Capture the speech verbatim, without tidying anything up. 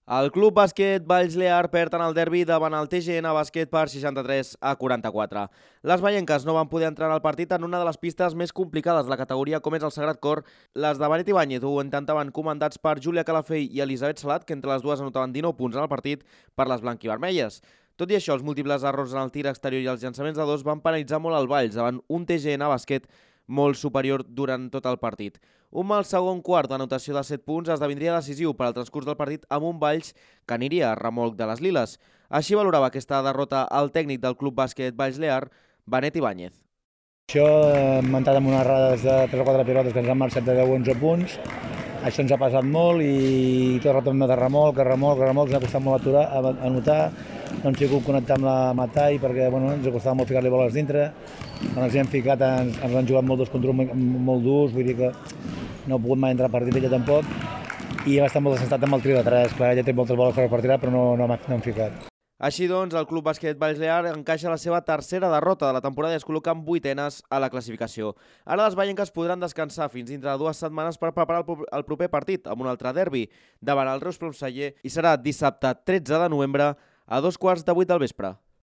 El Club Bàsquet Valls Lear perd en el derbi davant el T G N Bàsquet per seixanta-tres a quaranta-quatre. Les vallenques no van poder entrar al partit en una de les pistes més complicades de la categoria, com és el Sagrat Cor. Les de Benet Ibáñez ho intentaven, comandats per Júlia Calafell i Elisabet Salat, que entre les dues anotaven dinou punts en el partit per les blanquivermelles. Tot i això, els múltiples errors en el tir exterior i els llançaments de dos van penalitzar molt el Valls davant un T G N Bàsquet molt superior durant tot el partit. Un mal segon quart d'anotació de set punts esdevindria decisiu per al transcurs del partit amb un Valls que aniria a remolc de les liles. Així valorava aquesta derrota el tècnic del Club Bàsquet Valls Lear, Benet Ibáñez. Això hem entrat amb unes errades de tres o quatre pilotes que ens han marxat de deu o onze punts. Això ens ha passat molt i tot el rato hem de remolc, remolc, remolc, ens ha costat molt aturar, anotar. No hem sigut connectar amb la Matai perquè bueno, ens ha costat molt ficar-li boles dintre. Quan ens hi hem ficat ens, ens han jugat molt dos contra un molt durs, vull dir que no ha pogut mai entrar a partit ella tampoc. I hem estat molt desestat amb el tri de tres, clar, ella té moltes boles per tirar però no, no, no hem ficat. Així doncs, el Club Bàsquet Valls Lear encaixa la seva tercera derrota de la temporada i es col·loca en vuitenes a la classificació. Ara les vallenques podran descansar fins dintre de dues setmanes per preparar el proper partit amb un altre derbi davant el Reus Plomceller i serà dissabte tretze de novembre a dos quarts de vuit del vespre.